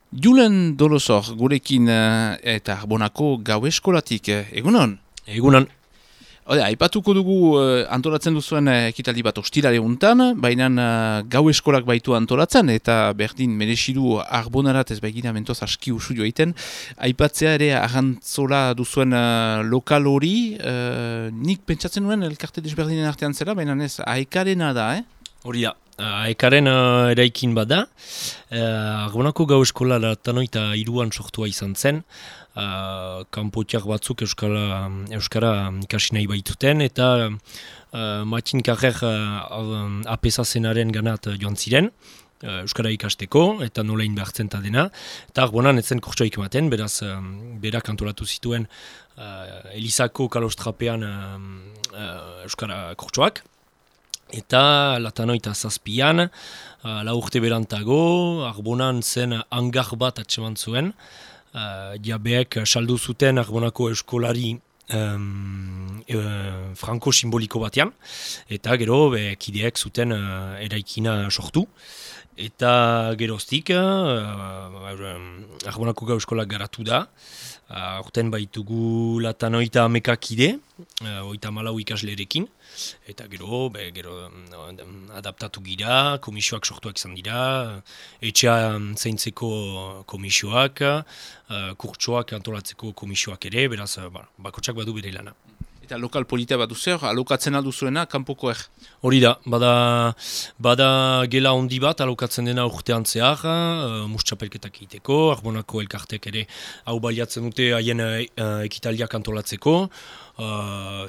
Julen Dolosor, gurekin eta Arbonako gau eskolatik, egunon? Egunan. Aipatuko dugu antolatzen duzuen ekitaldi bat ostirale untan, baina gau eskolak baitu antolatzen, eta berdin merezidu Arbonarat ez baigina mentoz aski usu joaiten. Aipatzea ere arrantzola duzuen lokal hori, nik pentsatzen nuen elkarte desberdinen artean zela, baina ez aekarena da, Hori da, aekaren eraikin bada. Arbonako gau eskola latanoita iruan sortua izan zen. Kanpotiak batzuk euskara ikasi nahi baituten, eta Matin Carrer apesazenaren ganat joan ziren, euskara ikasteko, eta nolein behartzen ta dena. Eta Arbonan etzen kurtsoik ematen, beraz berak antolatu zituen Elizako kalostrapean euskara kurtsoak. Eta latanoita zazpian, lau urte berantago, Arbonan zen hangar bat atseman zuen. Jabeek saldu zuten Arbonako eskolari franko simboliko batean, eta gero kideek zuten eraikina sortu. Eta geroztik, Arbonako gau eskolak garatu da. Horten baitugu latanoita amekakide, 34 ikaslerekin. Eta gero adaptatu gira, komisioak sortuak izan dira, etxea zaintzeko komisioak, kurtsoak antolatzeko komisioak ere, beraz bakotsak badu bere lana. Eta lokal polita bat duzer, alokatzen alduzuena, kanpoko Hori da, bada gela handi bat alokatzen dena urtean zehar, mustxapelketak egiteko, Arbonako elkartek ere hau baliatzen dute haien ekitaldiak antolatzeko,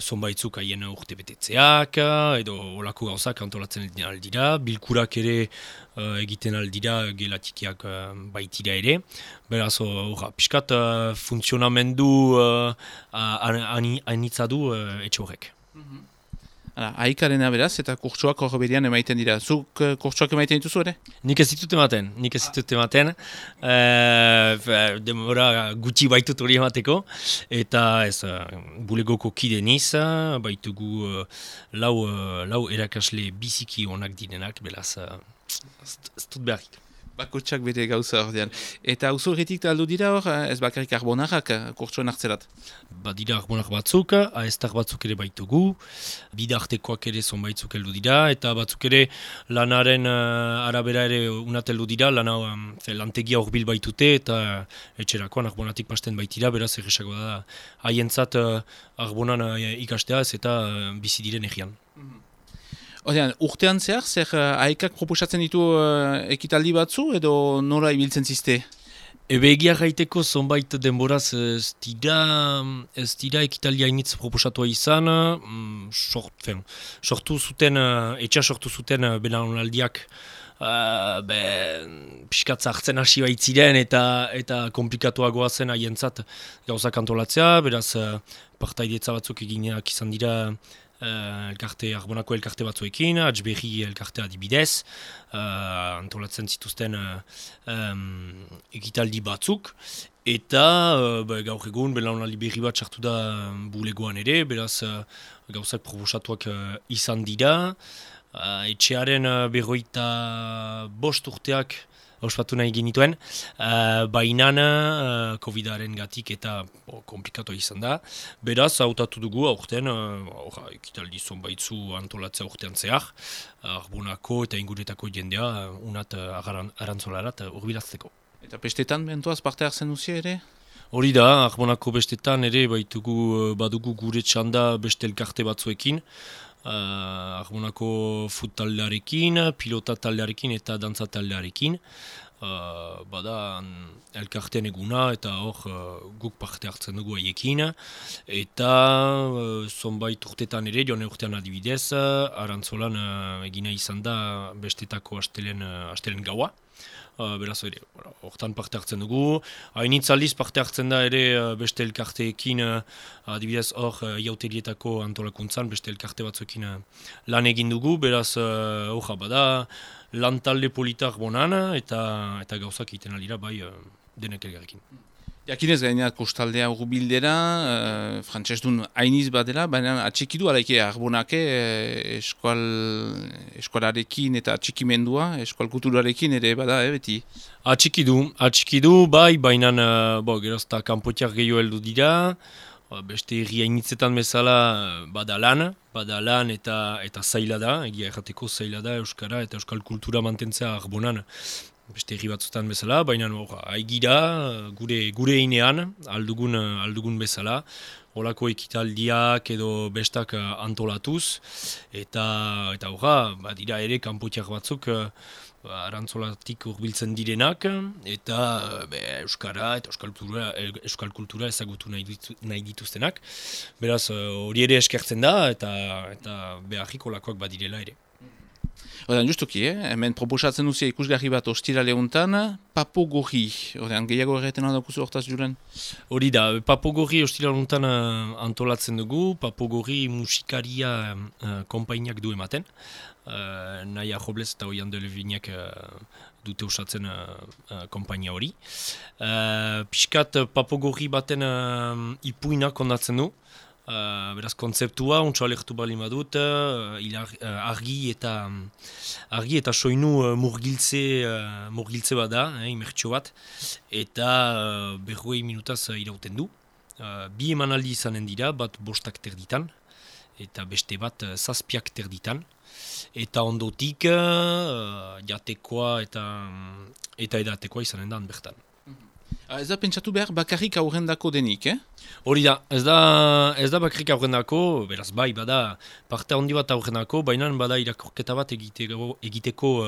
zonbaitzuk haien urte betetzeak, edo olako gauzak antolatzen aldira, bilkurak ere egiten aldira gelatikiak baitira ere. Beraz, piskat funtzionamendu anitza du etxe horrek. Aikarena beraz, eta kurtsoak hor berian emaiten dira. Zuk kurtsoak emaiten dituzu ere? Nik ez ditut ematen. Demora gutxi baitut hori emateko. Eta ez, bulegoko kide niz, baitugu lau erakasle biziki onak direnak, beraz, ez dut beharrik. Bakotsak bere gauza ordean. Eta auzo horretik aldu dira hor, ez bakarrik Arbonarrak kurtsoen hartzerat? Badira Arbonar batzuk, aestar batzuk ere baitugu, bidartekoak ere zonbaitzuk heldu dira, eta batzuk ere lanaren arabera ere unat heldu dira, lantegia horbil baitute, eta etxerakoan Arbonatik pasten baitira, beraz erresago da haientzat Arbonan ikastea ez eta bizi diren egian. Ordean, urtean zehar, zer aekak proposatzen ditu ekitaldi batzu edo nola ibiltzen ziste? Egia gaiteko zonbait denboraz ez dira ekitaldia hainitz proposatua izan, sortu zuten belaunaldiak piskatza hartzen hasi baitziren eta komplikatuagoa zen haientzat gauzak antolatzea, beraz partaidetza batzuk eginak izan dira Arbonako elkarte batzuekin, Atzberri elkartea adibidez, antolatzen zituzten ekitaldi batzuk, eta gaur egun belaunaldi berri bat sartu da bulegoan ere, beraz gauzak proposatuak izan dira, etxearen 25 urteak ospatu nahi genituen, bainan COVID-aren gatik eta komplikatu izan da. Beraz, hautatu dugu aurten, ekitaldi zonbaitzu antolatzea urtean zehar, Arbonako eta inguretako jendea unat arantzolarat urbilazteko. Eta bestetan bentoaz parte hartzen duzia ere? Hori da, Arbonako bestetan ere badugu gure txanda beste elkarte batzuekin, Arbonako fut taldearekin, pilota taldearekin eta dantza taldearekin. Bada elkartean eguna eta hor guk parte hartzen dugu haiekin. Eta zonbait urtetan ere, joan urtean adibidez, arantzolan egina izan da bestetako astelen gaua. Beraz ere, hortan parte hartzen dugu. Hainitz aldiz parte hartzen da ere beste elkarteekin, adibidez hor jauterietako antolakuntzan, beste elkarte batzuekin lan egin dugu, beraz bada lan talde politar bonan eta gauzak egiten aldira bai denek elgarrekin. Jakinez gainera kostaldea urbildera, frantsesdun hainiz badela, baina atxikidu alaike Arbonake eskualarekin eta atxikimendua, eskual kulturarekin ere bada, beti? Atxikidu, bai, baina gerozta kanpotiak gehiago heldu dira, beste herri hainitzetan bezala badalan eta zaila da, egia errateko zaila da Euskara eta Euskal kultura mantentzea Arbonan. Beste herri batzutan bezala, baina haigira gure inean, aldugun bezala, holako ekitaldiak edo bestak antolatuz, eta dira ere kanpotiak batzuk arantzolatik hurbiltzen direnak, eta Euskara eta Euskal kultura ezagutu nahi dituztenak. Beraz, hori ere eskertzen da, eta beharrik holakoak badirela ere. Odan, justuki, hemen proposatzen duzia ikusgarri bat ostirale hontan, Papo Gorri. Odan, gehiago erreten handakuzu hortaz juren? Hori da, Papo Gorri ostirale hontan antolatzen dugu, Papo Gorri musikaria konpainiak du ematen. Naia Joblez eta Oian de Levinek dute usatzen konpainia hori. Piskat Papo Gorri baten ipuinak ondatzen du. Beraz, kontzeptua, ontsa alertu bali badut, argi eta soinu murgiltze bada, imertxo bat, eta 40 minutaz irauten du. Bi emanaldi izanen dira, bat 5 terditan, eta beste bat 7 terditan. Eta ondotik, jatekoa eta edatekoa izanen da bertan. Ez da pentsatu behar bakarrik aurrendako denik, Hori da, ez da bakarrik aurrendako, beraz bai, bada parte handi bat aurrendako, baina bada irakorketa bat egiteko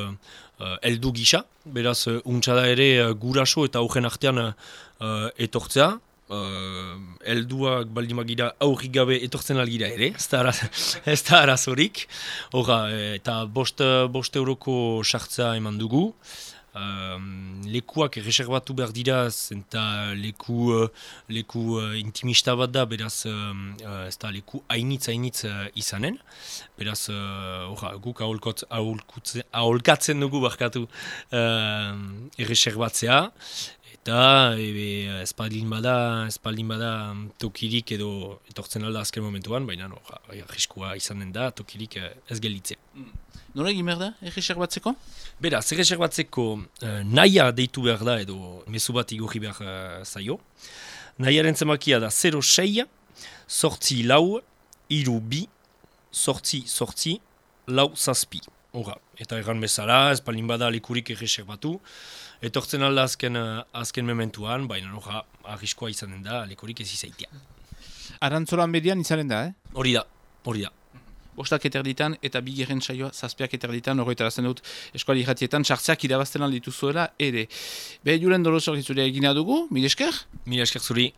heldu gisa, beraz untsa da ere guraso eta aurren artean etortzea, helduak baldimagira aurrik gabe etortzen algira ere, ez da arazorik, eta 5 euroko sartza eman dugu, lekuak erreserbatu behar dira, eta leku intimista bat da, beraz ez da leku hainitz izanen, beraz guk aholkatzen dugu barkatu erreserbatzea, eta espaldin bada tokirik edo etortzen alda azken momentuan, baina arriskua izanen da tokirik ez gelditzea. Nola egin behar da, erreserbatzeko? Beraz, erreserbatzeko naia deitu behar da edo mezu bat igorri behar zaio. Naiaren zemakia da 06 sortzi lau, iru bi, sortzi, lau zazpi. Eta erran bezala, espaldin bada lekurik erreserbatu. Etortzen alda azken mementuan, baina arriskoa izanen da lekurik ez izaitia. Arantzolan bedian izanen da, Hori da. 5 eterditan eta 2 saioa 7 eterditan, horretarazten dut eskuali irratietan, sartzeak irabazten aldituzuela ere. Julen Dolosor gizurea egina dugu, mil esker? Mil esker zuri.